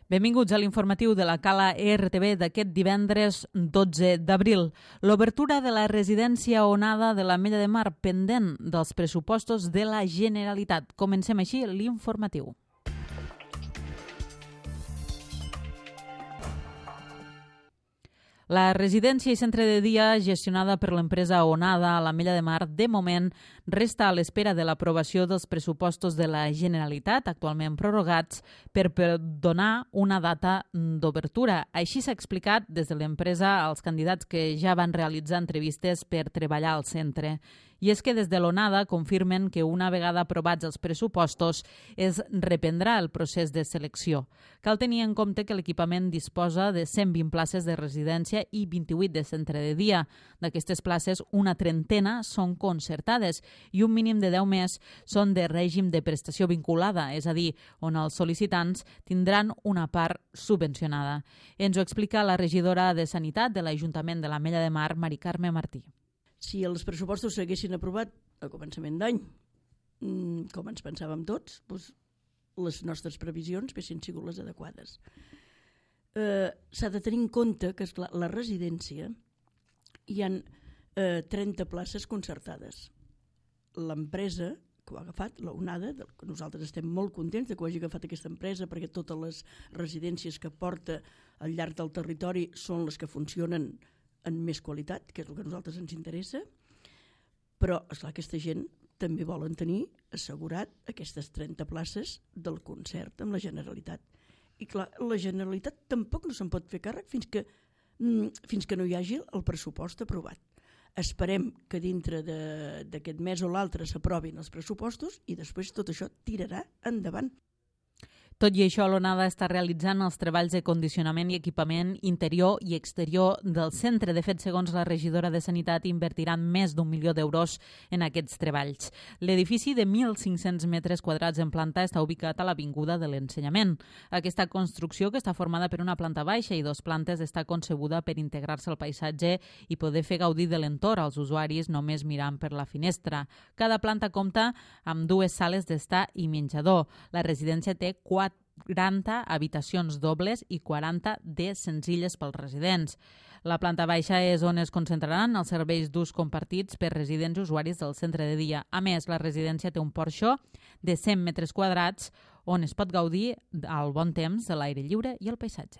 Benvinguts a l'informatiu de la Cala RTV d'aquest divendres 12 d'abril. L'obertura de la residència Onada de l'Ametlla de Mar pendent dels pressupostos de la Generalitat. Comencem així l'informatiu. La residència i centre de dia gestionada per l'empresa Onada a l'Ametlla de Mar, de moment, resta a l'espera de l'aprovació dels pressupostos de la Generalitat, actualment prorrogats, per donar una data d'obertura. Així s'ha explicat des de l'empresa als candidats que ja van realitzar entrevistes per treballar al centre. I és que des de l'Onada confirmen que una vegada aprovats els pressupostos es reprendrà el procés de selecció. Cal tenir en compte que l'equipament disposa de 120 places de residència i 28 de centre de dia. D'aquestes places, una trentena són concertades i un mínim de 10 més són de règim de prestació vinculada, és a dir, on els sol·licitants tindran una part subvencionada. Ens ho explica la regidora de Sanitat de l'Ajuntament de l'Ametlla de Mar, Mari Carme Martí. Si els pressupostos s'haguessin aprovat a començament d'any, com ens pensàvem tots, doncs les nostres previsions haguessin sigut les adequades. S'ha de tenir en compte que esclar, la residència hi ha 30 places concertades. L'empresa que ho ha agafat, la Onada, que nosaltres estem molt contents de que ho hagi agafat aquesta empresa perquè totes les residències que porta al llarg del territori són les que funcionen en més qualitat, que és el que a nosaltres ens interessa, però esclar, aquesta gent també volen tenir assegurat aquestes 30 places del concert amb la Generalitat. I clar, la Generalitat tampoc no se'n pot fer càrrec fins que no hi hagi el pressupost aprovat. Esperem que dintre d'aquest mes o l'altre s'aprovin els pressupostos i després tot això tirarà endavant. Tot i això, l'Onada està realitzant els treballs de condicionament i equipament interior i exterior del centre. De fet, segons la regidora de Sanitat, invertiran més d'1 milió d'euros en aquests treballs. L'edifici de 1.500 metres quadrats en planta està ubicat a l'Avinguda de l'Ensenyament. Aquesta construcció, que està formada per una planta baixa i 2 plantes, està concebuda per integrar-se al paisatge i poder fer gaudir de l'entorn als usuaris només mirant per la finestra. Cada planta compta amb 2 sales d'estar i menjador. La residència té 40 habitacions dobles i 40 de senzilles pels residents. La planta baixa és on es concentraran els serveis d'ús compartits per residents i usuaris del centre de dia. A més, la residència té un porxo de 100 metres quadrats on es pot gaudir al bon temps de l'aire lliure i el paisatge.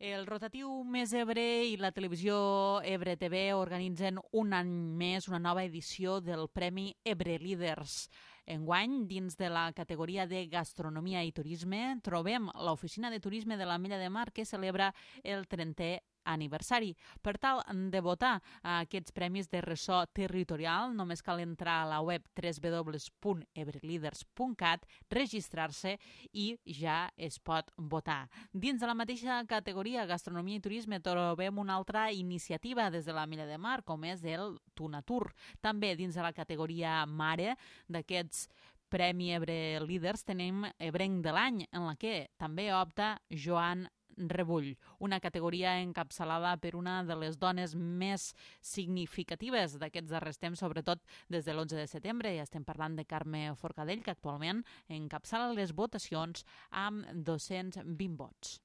El rotatiu Més Ebre i la televisió Ebre TV organitzen un any més una nova edició del Premi Ebre Líders. Enguany, dins de la categoria de Gastronomia i Turisme, trobem l'Oficina de Turisme de l'Ametlla de Mar que celebra el 30è aniversari. Per tal de votar a aquests premis de ressò territorial, només cal entrar a la web www.ebreleaders.cat, registrar-se i ja es pot votar. Dins de la mateixa categoria Gastronomia i Turisme trobem una altra iniciativa des de l'Ametlla de Mar, com és el Tunatur. També dins de la categoria Mare d'aquests Premi Ebre Líders tenim Ebrenc de l'any, en la que també opta Joan Rebull, una categoria encapçalada per una de les dones més significatives d'aquests darrers temps, sobretot des de l'11 de setembre. Ja estem parlant de Carme Forcadell, que actualment encapçala les votacions amb 220 vots.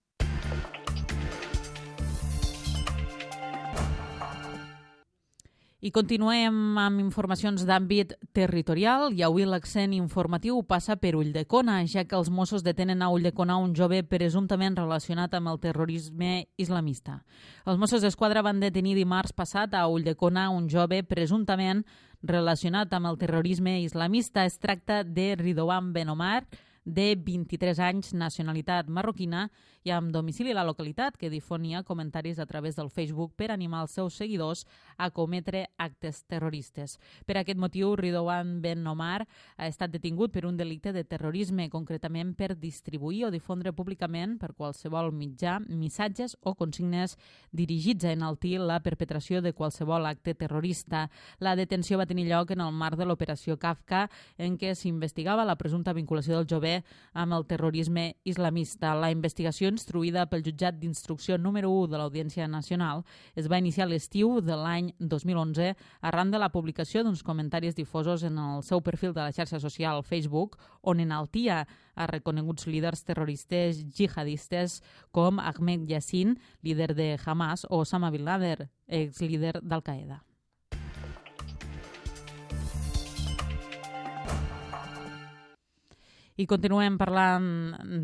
I continuem amb informacions d'àmbit territorial i avui l'accent informatiu passa per Ulldecona, ja que els Mossos detenen a Ulldecona un jove presumptament relacionat amb el terrorisme islamista. Els Mossos d'Esquadra van detenir dimarts passat a Ulldecona un jove presumptament relacionat amb el terrorisme islamista. Es tracta de Ridouan Ben Omar, de 23 anys, nacionalitat marroquina i amb domicili a la localitat, que difonia comentaris a través del Facebook per animar els seus seguidors a cometre actes terroristes. Per aquest motiu, Ridouan Ben Omar ha estat detingut per un delicte de terrorisme, concretament per distribuir o difondre públicament per qualsevol mitjà missatges o consignes dirigits a enaltir la perpetració de qualsevol acte terrorista. La detenció va tenir lloc en el marc de l'operació Kafka, en què s'investigava la presumpta vinculació del jove vincle amb el terrorisme islamista. La investigació instruïda pel jutjat d'instrucció número 1 de l'Audiència Nacional es va iniciar a l'estiu de l'any 2011 arran de la publicació d'uns comentaris difosos en el seu perfil de la xarxa social Facebook, on enaltia a reconeguts líders terroristes jihadistes com Ahmed Yassin, líder de Hamas, o Osama Bin Laden, exlíder d'Al-Qaeda. I continuem parlant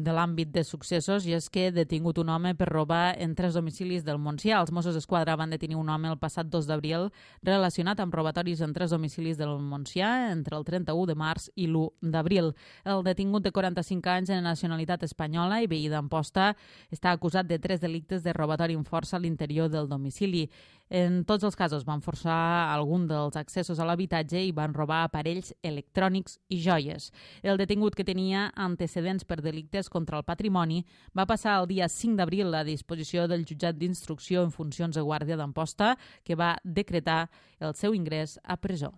de l'àmbit de successos, i és que ha detingut un home per robar en 3 domicilis del Montsià. Els Mossos d'Esquadra van detenir un home el passat 2 d'abril relacionat amb robatoris en 3 domicilis del Montsià entre el 31 de març i l'1 d'abril. El detingut de 45 anys de nacionalitat espanyola i veí d'Amposta està acusat de 3 delictes de robatori amb força a l'interior del domicili. En tots els casos van forçar algun dels accessos a l'habitatge i van robar aparells electrònics i joies. El detingut, que tenia antecedents per delictes contra el patrimoni, va passar el dia 5 d'abril a disposició del jutjat d'instrucció en funcions de guàrdia d'Amposta, que va decretar el seu ingrés a presó.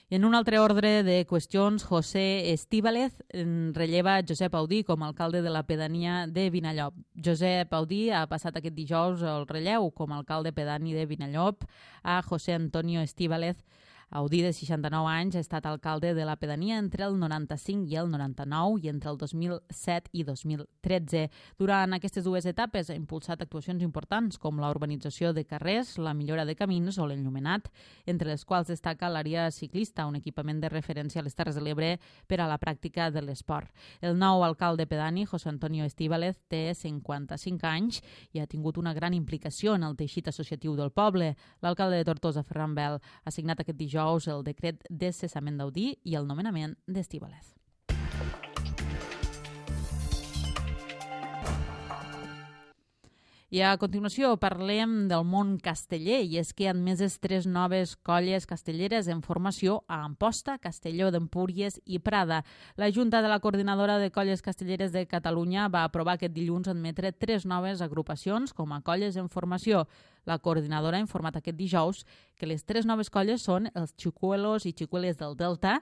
I en un altre ordre de qüestions, José Estíbalez relleva Josep Audí com a alcalde de la pedania de Vinallop. Josep Audí ha passat aquest dijous el relleu com a alcalde pedani de Vinallop a José Antonio Estíbalez. Audí, de 69 anys, ha estat alcalde de la pedania entre el 95 i el 99 i entre el 2007 i 2013. Durant aquestes 2 etapes ha impulsat actuacions importants com la urbanització de carrers, la millora de camins o l'enllumenat, entre les quals destaca l'àrea ciclista, un equipament de referència a les Terres de l'Ebre per a la pràctica de l'esport. El nou alcalde pedani, José Antonio Estíbalez, té 55 anys i ha tingut una gran implicació en el teixit associatiu del poble. L'alcalde de Tortosa, Ferran Bel, ha signat aquest dijous el decret de cessament d'Audí i el nomenament d'Estíbalez. I a continuació parlem del món casteller, i és que han admeses 3 noves colles castelleres en formació a Amposta, Castelló d'Empúries i Prada. La Junta de la Coordinadora de Colles Castelleres de Catalunya va aprovar aquest dilluns admetre 3 noves agrupacions com a colles en formació. La coordinadora ha informat aquest dijous que les 3 noves colles són els Xicuelos i Xicueles del Delta,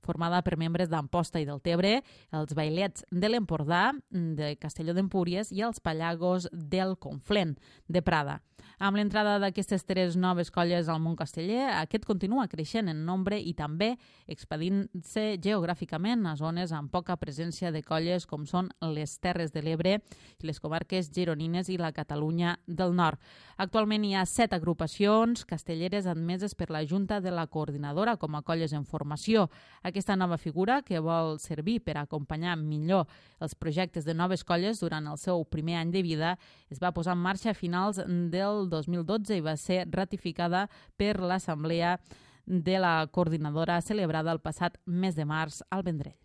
formada per membres d'Amposta i del Tebre, els Bailets de l'Empordà, de Castelló d'Empúries i els Pallagos del Conflent, de Prada. Amb l'entrada d'aquestes 3 noves colles al món casteller, aquest continua creixent en nombre i també expandint-se geogràficament a zones amb poca presència de colles com són les Terres de l'Ebre, les comarques gironines i la Catalunya del Nord. Actualment hi ha 7 agrupacions castelleres admeses per la Junta de la Coordinadora com a colles en formació. Aquesta nova figura, que vol servir per acompanyar millor els projectes de noves colles durant el seu primer any de vida, es va posar en marxa a finals del 2012 i va ser ratificada per l'Assemblea de la Coordinadora celebrada el passat mes de març al Vendrell.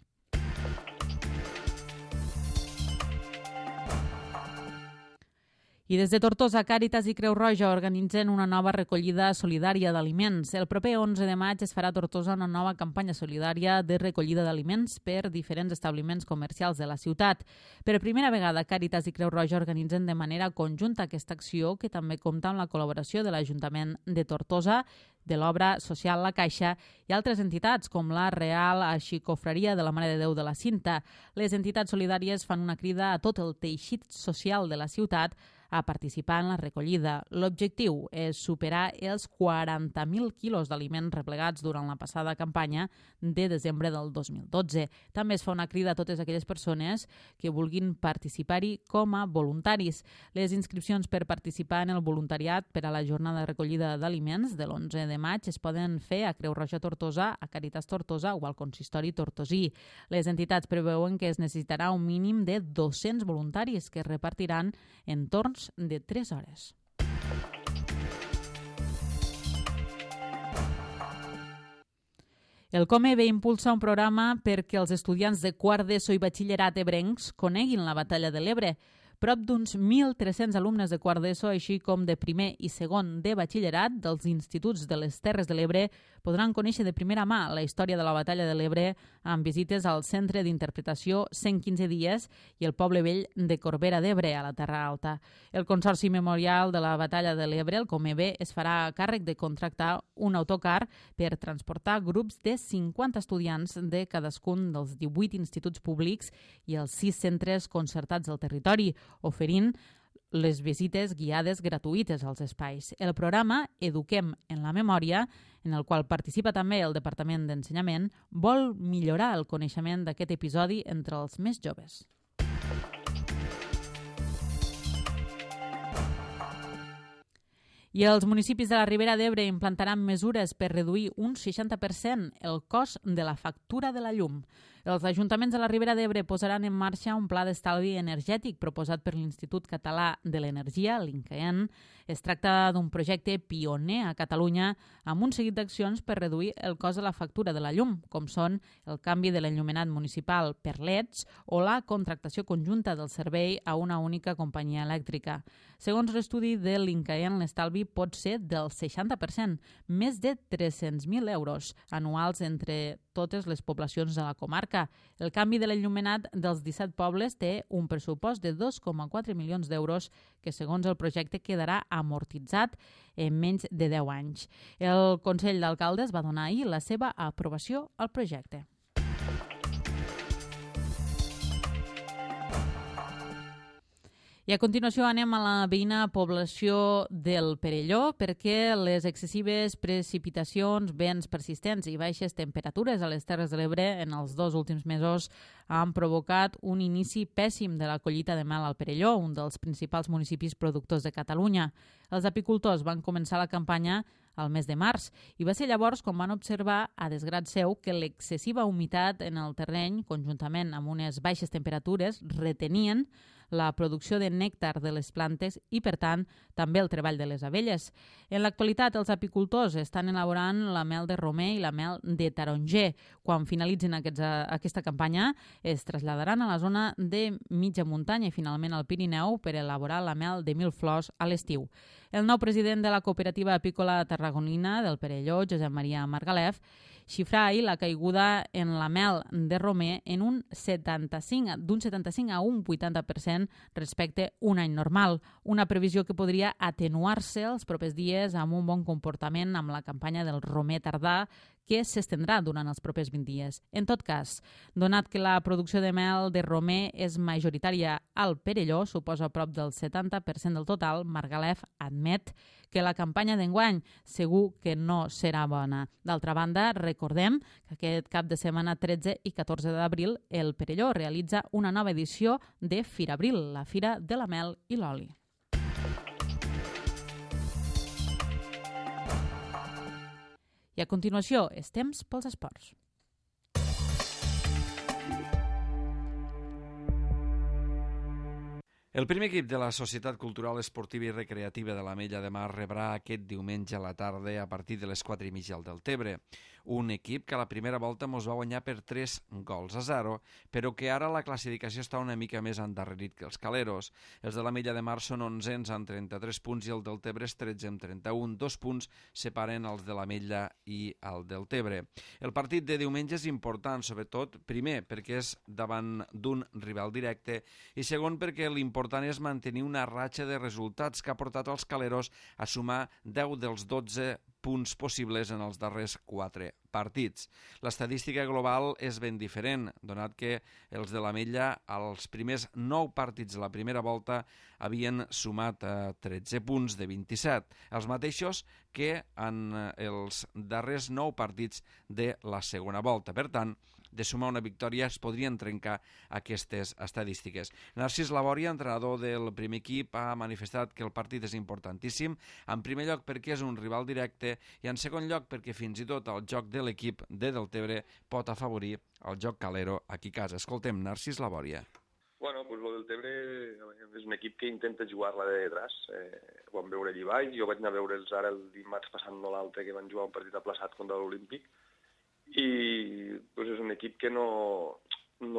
I des de Tortosa, Càritas i Creu Roja organitzen una nova recollida solidària d'aliments. El proper 11 de maig es farà a Tortosa una nova campanya solidària de recollida d'aliments per diferents establiments comercials de la ciutat. Per primera vegada, Càritas i Creu Roja organitzen de manera conjunta aquesta acció, que també compta amb la col·laboració de l'Ajuntament de Tortosa, de l'Obra Social La Caixa i altres entitats com la Real Arxicofreria de la Mare de Déu de la Cinta. Les entitats solidàries fan una crida a tot el teixit social de la ciutat a participar en la recollida. L'objectiu és superar els 40.000 quilos d'aliments replegats durant la passada campanya de desembre del 2012. També es fa una crida a totes aquelles persones que vulguin participar-hi com a voluntaris. Les inscripcions per participar en el voluntariat per a la jornada de recollida d'aliments de l'11 de maig es poden fer a Creu Roja Tortosa, a Càritas Tortosa o al Consistori Tortosí. Les entitats preveuen que es necessitarà un mínim de 200 voluntaris que es repartiran en torns de 3 hores. El COMEBE impulsa un programa perquè els estudiants de quart d'ESO i batxillerat ebrencs coneguin la Batalla de l'Ebre. Prop d'uns 1.300 alumnes de quart d'ESO, així com de primer i segon de batxillerat dels instituts de les Terres de l'Ebre, podran conèixer de primera mà la història de la Batalla de l'Ebre amb visites al Centre d'Interpretació 115 dies i el Poble Vell de Corbera d'Ebre, a la Terra Alta. El Consorci Memorial de la Batalla de l'Ebre, el Comebe, es farà càrrec de contractar un autocar per transportar grups de 50 estudiants de cadascun dels 18 instituts públics i els 6 centres concertats del territori, oferint les visites guiades gratuïtes als espais. El programa Eduquem en la Memòria, en el qual participa també el Departament d'Ensenyament, vol millorar el coneixement d'aquest episodi entre els més joves. I els municipis de la Ribera d'Ebre implantaran mesures per reduir un 60% el cost de la factura de la llum. Els ajuntaments de la Ribera d'Ebre posaran en marxa un pla d'estalvi energètic proposat per l'Institut Català de l'Energia, l'INCAEN. Es tracta d'un projecte pioner a Catalunya amb un seguit d'accions per reduir el cost de la factura de la llum, com són el canvi de l'enllumenat municipal per LEDs o la contractació conjunta del servei a una única companyia elèctrica. Segons l'estudi de l'INCAEN, l'estalvi pot ser del 60%, més de 300.000 euros anuals entre totes les poblacions de la comarca. El canvi de l'enllumenat dels 17 pobles té un pressupost de 2,4 milions d'euros que, segons el projecte, quedarà amortitzat en menys de 10 anys. El Consell d'Alcaldes va donar ahir la seva aprovació al projecte. I a continuació anem a la veïna població del Perelló perquè les excessives precipitacions, vents persistents i baixes temperatures a les Terres de l'Ebre en els 2 últims mesos han provocat un inici pèssim de la collita de mel al Perelló, un dels principals municipis productors de Catalunya. Els apicultors van començar la campanya al mes de març i va ser llavors quan van observar, a desgrat seu, que l'excessiva humitat en el terreny, conjuntament amb unes baixes temperatures, retenien la producció de nèctar de les plantes i, per tant, també el treball de les abelles. En l'actualitat, els apicultors estan elaborant la mel de romer i la mel de taronger. Quan finalitzin aquesta campanya, es traslladaran a la zona de mitja muntanya i finalment al Pirineu per elaborar la mel de 1.000 flors a l'estiu. El nou president de la cooperativa apícola tarragonina del Perelló, Josep Maria Margalef, xifra ahir la caiguda en la mel de romer en d'un 75 a un 80% respecte un any normal, una previsió que podria atenuar-se els propers dies amb un bon comportament amb la campanya del romer tardà que s'estendrà durant els propers 20 dies. En tot cas, donat que la producció de mel de romer és majoritària al Perelló, suposa prop del 70% del total, Margalef admet que la campanya d'enguany segur que no serà bona. D'altra banda, recordem que aquest cap de setmana 13 i 14 d'abril el Perelló realitza una nova edició de Firabril, la Fira de la Mel i l'Oli. I a continuació, és temps pels esports. El primer equip de la Societat Cultural Esportiva i Recreativa de l'Ametlla de Mar rebrà aquest diumenge a la tarda a partir de les 4:30 al Deltebre. Un equip que a la primera volta mos va guanyar per 3-0, però que ara la classificació està una mica més endarrerit que els caleros. Els de l'Ametlla de Mar són 11ens amb 33 punts i el Deltebre és 13 amb 31. 2 punts separen els de l'Ametlla i el Deltebre. El partit de diumenge és important, sobretot, primer, perquè és davant d'un rival directe i segon, perquè l'important és mantenir una ratxa de resultats que ha portat els caleros a sumar 10 dels 12 punts possibles en els darrers 4 partits. L'estadística global és ben diferent, donat que els de l'Ametlla als primers 9 partits de la primera volta havien sumat 13 punts de 27, els mateixos que en els darrers 9 partits de la segona volta. Per tant, de sumar una victòria es podrien trencar aquestes estadístiques. Narcís Labòria, entrenador del primer equip, ha manifestat que el partit és importantíssim, en primer lloc perquè és un rival directe i en segon lloc perquè fins i tot el joc de l'equip de Deltebre pot afavorir el joc calero aquí a casa. Escoltem Narcís Labòria. Bueno, pues lo del Tebre és un equip que intenta jugar-la de detrás. Ho vam veure allí baix, jo vaig anar a veure'ls ara el dimarts passant no l'altre, que van jugar un partit aplaçat contra l'Olímpic, i pues és un equip que no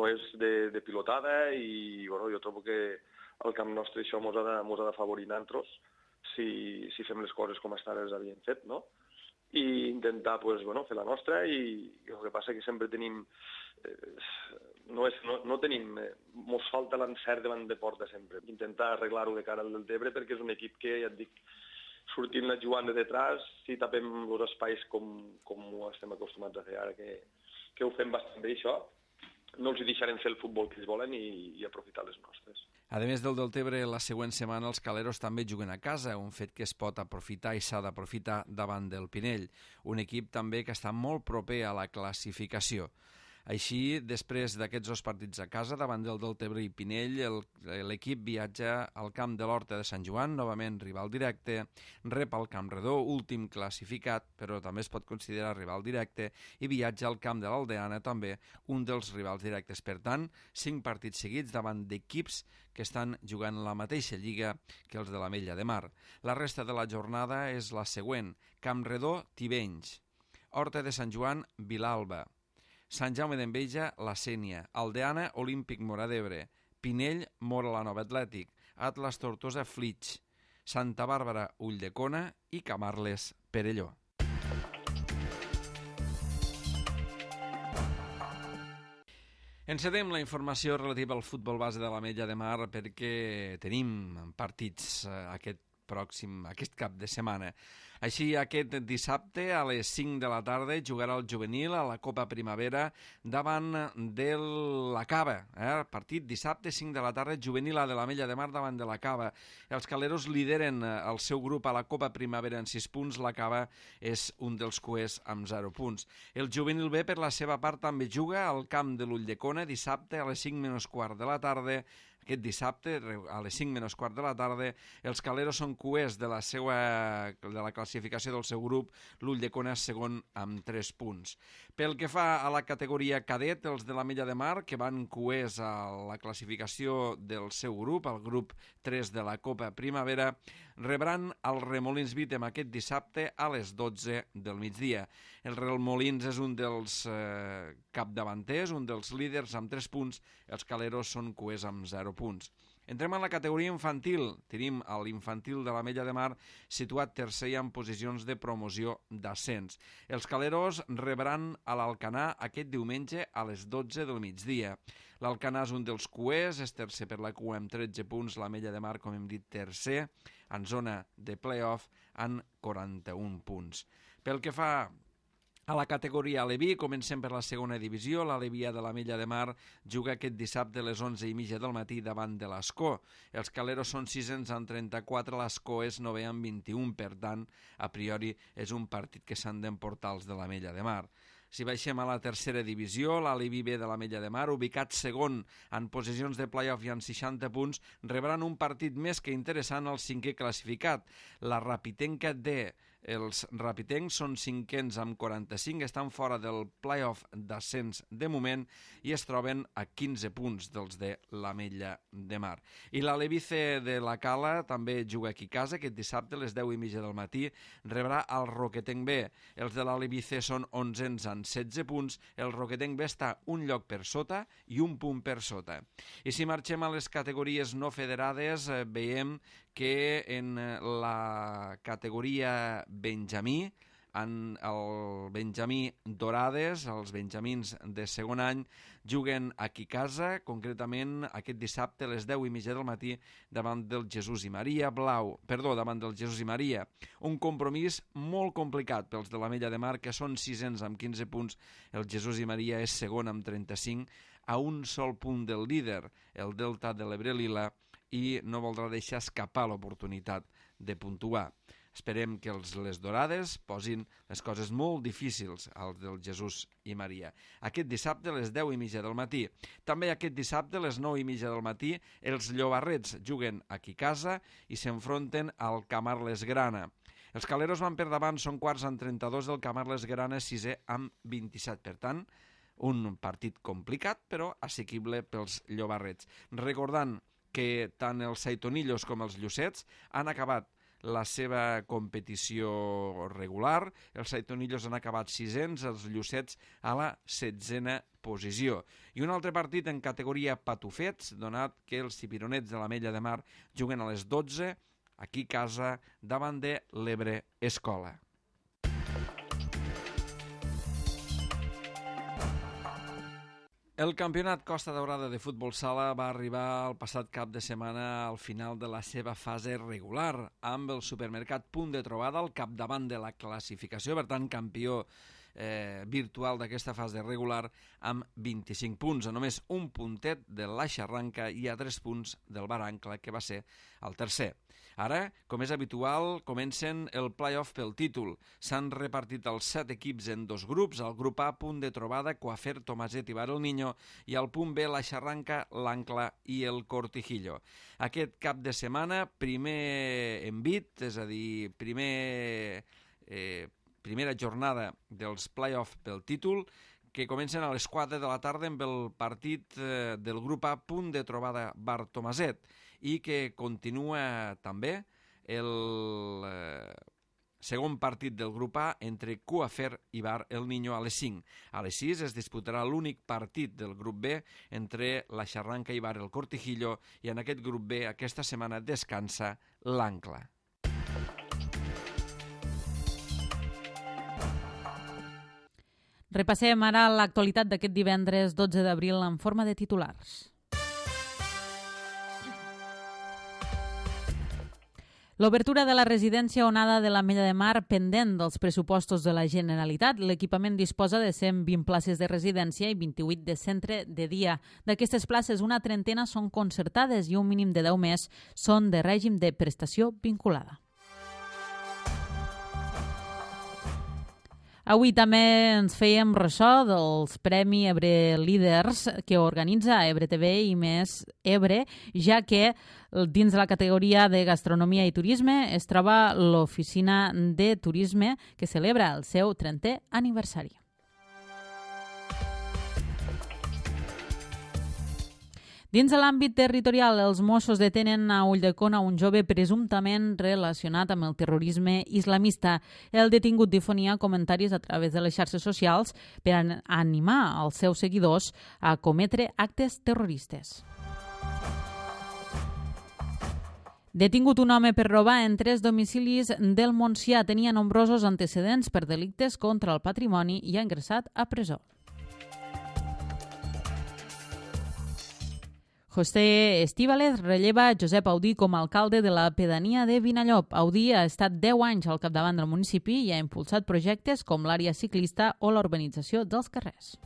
és de pilotada i bueno, jo trobo que al camp nostre això mos ha d'afavorir nantros si fem les coses com hasta ara les havíem fet, no? I intentar pues, bueno, fer la nostra i el que passa que sempre tenim no tenim mos falta l'encert davant de porta sempre, intentar arreglar-ho de cara al Deltebre perquè és un equip que, ja et dic, sortint la jugant de detrás, si tapem els espais com ho estem acostumats a fer ara, que ho fem bastant bé això, no els deixarem fer el futbol que ells volen i aprofitar les nostres. A més del Deltebre, la següent setmana els caleros també juguen a casa, un fet que es pot aprofitar i s'ha d'aprofitar davant del Pinell, un equip també que està molt proper a la classificació. Així, després d'aquests dos partits a casa, davant del Deltebre i Pinell, l'equip viatja al camp de l'Horta de Sant Joan, novament rival directe, rep el Camp Redó, últim classificat, però també es pot considerar rival directe, i viatja al camp de l'Aldeana, també un dels rivals directes. Per tant, 5 partits seguits davant d'equips que estan jugant la mateixa lliga que els de l'Ametlla de Mar. La resta de la jornada és la següent: Camp Redó, Tivenys, Horta de Sant Joan, Vilalba, Sant Jaume d'Enveja, La Sénia, Aldeana, Olímpic Móra d'Ebre, Pinell, Móra la Nova Atlètic, Atlas Tortosa, Flix, Santa Bàrbara, Ulldecona i Camarles, Perelló. Encedem la informació relativa al futbol base de l'Ametlla de Mar perquè tenim partits aquest cap de setmana. Així, aquest dissabte a les 5 de la tarda jugarà el juvenil a la Copa Primavera davant de la Cava. Partit dissabte, 5 de la tarda, juvenil a de l'Ametlla de Mar davant de la Cava. Els caleros lideren el seu grup a la Copa Primavera en 6 punts, la Cava és un dels cuers amb 0 punts. El juvenil B, per la seva part, també juga al camp de l'Ulldecona dissabte a les 5 menys quart de la tarda. Aquest dissabte, a les 5 menys quart de la tarda, els caleros són cuers de la classificació del seu grup, l'Ulldecona és segon amb 3 punts. Pel que fa a la categoria cadet, els de l'Ametlla de Mar, que van cuers a la classificació del seu grup, el grup 3 de la Copa Primavera, rebran el Remolins Vítem aquest dissabte a les 12 del migdia. El Remolins és un dels capdavanters, un dels líders amb 3 punts, els caleros són cuers amb 0 punts. Entrem en la categoria infantil. Tenim l'infantil de l'Ametlla de Mar situat tercer i en posicions de promoció d'ascens. Els caleros rebran a l'Alcanar aquest diumenge a les 12 del migdia. L'Alcanar és un dels cuers, és tercer per la cua amb 13 punts, l'Ametlla de Mar, com hem dit, tercer, en zona de play-off, amb 41 punts. Pel que fa a la categoria Aleví, comencem per la segona divisió. l'Alevia de l'Ametlla de Mar juga aquest dissabte a les 11:30 del matí davant de l'Escó. Els caleros són sisens amb 34, l'Escó és novè amb 21, per tant, a priori és un partit que s'han d'emportar els de l'Ametlla de Mar. Si baixem a la tercera divisió, l'Aleví B de l'Ametlla de Mar, ubicat segon en posicions de play-off i amb 60 punts, rebran un partit més que interessant al cinquè classificat, la Rapitenca D. Els rapitencs són cinquens amb 45, estan fora del play-off d'ascens de moment i es troben a 15 punts dels de l'Ametlla de Mar. I l'Aleví C de la Cala també juga aquí a casa, aquest dissabte a les 10:30 del matí rebrà el Roquetenc B. Els de l'Aleví C són 11ens amb 16 punts, el Roquetenc B està un lloc per sota i un punt per sota. I si marxem a les categories no federades, veiem que en la categoria Benjamí, en el Benjamí Dorades, els benjamins de segon any, juguen aquí a casa, concretament aquest dissabte a les 10:30 del matí davant del Jesús i Maria davant del Jesús i Maria. Un compromís molt complicat pels de l'Ametlla de Mar, que són sisens amb 15 punts. El Jesús i Maria és segon amb 35, a un sol punt del líder, el Delta de l'Ebre Lila, i no voldrà deixar escapar l'oportunitat de puntuar. Esperem que les Dorades posin les coses molt difícils als del Jesús i Maria. Aquest dissabte a les 10:30 del matí. També aquest dissabte a les 9:30 del matí els Llobarrets juguen aquí a casa i s'enfronten al Camarles Grana. Els caleros van per davant, són quarts amb 32, del Camarles Grana sisè amb 27. Per tant, un partit complicat però assequible pels Llobarrets. Recordant que tant els Saitonillos com els Llucets han acabat la seva competició regular. Els Saitonillos han acabat 600, els Llucets a la 16a posició. I un altre partit en categoria patufets, donat que els cipironets de l'Ametlla de Mar juguen a les 12, aquí a casa, davant de l'Ebre Escola. El campionat Costa Daurada de futbol sala va arribar el passat cap de setmana al final de la seva fase regular, amb el Supermercat Punt de Trobada al capdavant de la classificació, per tant, campió virtual d'aquesta fase regular amb 25 punts, a només un puntet de la Xarranca i a 3 punts del Barancla, que va ser el tercer. Ara, com és habitual, comencen el play-off pel títol. S'han repartit els 7 equips en 2 grups, el grup A, Punt de Trobada, Coafer, Tomaset i Bar el Niño, i el punt B, la Xarranca, l'Ancla i el Cortijillo. Aquest cap de setmana, primer envit, és a dir, primera jornada dels play-off pel títol, que comencen a les 4 de la tarda amb el partit del grup A, Punt de Trobada, Bar Tomaset, i que continua també el segon partit del grup A entre Coafer i Bar el Niño a les 5. A les 6 es disputarà l'únic partit del grup B entre la Xarranca i Bar el Cortijillo, i en aquest grup B aquesta setmana descansa l'Ancla. Repassem ara l'actualitat d'aquest divendres 12 d'abril en forma de titulars. L'obertura de la residència Onada de l'Ametlla de Mar pendent dels pressupostos de la Generalitat. L'equipament disposa de 120 places de residència i 28 de centre de dia. D'aquestes places, una trentena són concertades i un mínim de 10 més són de règim de prestació vinculada. Avui també ens fèiem ressò dels Premi Ebre Líders que organitza Ebre TV i Més Ebre, ja que dins de la categoria de gastronomia i turisme es troba l'Oficina de Turisme, que celebra el seu 30è aniversari. Dins de l'àmbit territorial, els Mossos detenen a Ulldecona un jove presumptament relacionat amb el terrorisme islamista. El detingut difonia comentaris a través de les xarxes socials per animar els seus seguidors a cometre actes terroristes. Detingut un home per robar en 3 domicilis del Montsià. Tenia nombrosos antecedents per delictes contra el patrimoni i ha ingressat a presó. José Estíbaliz relleva Josep Audí com a alcalde de la pedania de Vinallop. Audí ha estat 10 anys al capdavant del municipi i ha impulsat projectes com l'àrea ciclista o la urbanització dels carrers.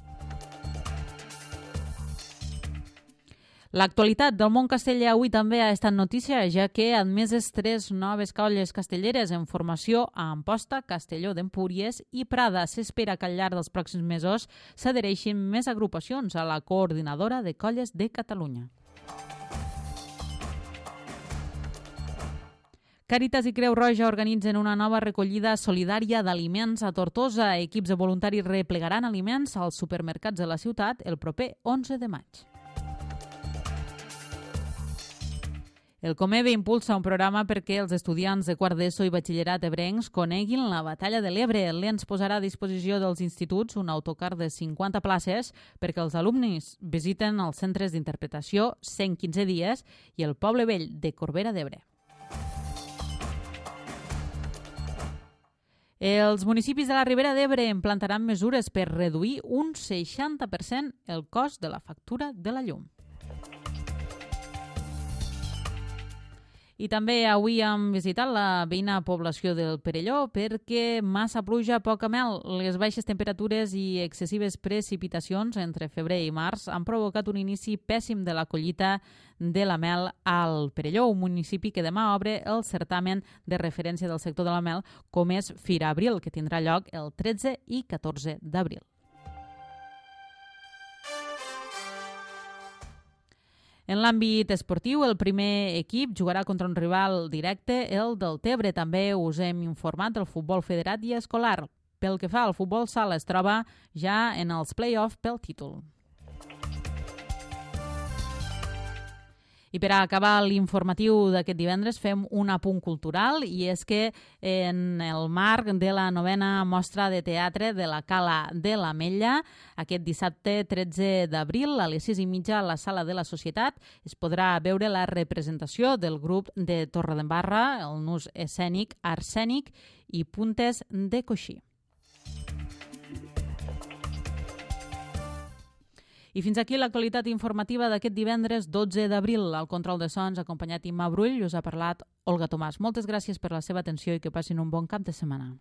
L'actualitat del món casteller avui també ha estat notícia, ja que ha admeses 3 noves colles castelleres en formació a Amposta, Castelló d'Empúries i Prada. S'espera que al llarg dels pròxims mesos s'adhereixin més agrupacions a la Coordinadora de Colles de Catalunya. Càritas i Creu Roja organitzen una nova recollida solidària d'aliments a Tortosa. Equips de voluntaris replegaran aliments als supermercats de la ciutat el proper 11 de maig. El Comebe impulsa un programa perquè els estudiants de quart d'ESO i batxillerat ebrencs coneguin la Batalla de l'Ebre. L'ENS posarà a disposició dels instituts un autocar de 50 places perquè els alumnes visiten els centres d'interpretació 115 dies i el Poble Vell de Corbera d'Ebre. Els municipis de la Ribera d'Ebre implantaran mesures per reduir un 60% el cost de la factura de la llum. I també avui hem visitat la veïna població del Perelló perquè massa pluja, poca mel. Les baixes temperatures i excessives precipitacions entre febrer i març han provocat un inici pèssim de la collita de la mel al Perelló, un municipi que demà obre el certamen de referència del sector de la mel, com és Fira Abril, que tindrà lloc el 13 i 14 d'abril. En l'àmbit esportiu, el primer equip jugarà contra un rival directe, el del Tebre. També us hem informat del futbol federat i escolar. Pel que fa al futbol sala, es troba ja en els play-off pel títol. I per a acabar l'informatiu d'aquest divendres fem un apunt cultural i és que en el marc de la 9a mostra de teatre de la Cala de l'Ametlla, aquest dissabte 13 d'abril a les 6:30 a la Sala de la Societat es podrà veure la representació del grup de Torredembarra, el nus escènic Arsènic i Puntes de Coixí. I fins aquí l'actualitat informativa d'aquest divendres 12 d'abril. Al control de sons, acompanyat Imma Brull, us ha parlat Olga Tomàs. Moltes gràcies per la seva atenció i que passin un bon cap de setmana.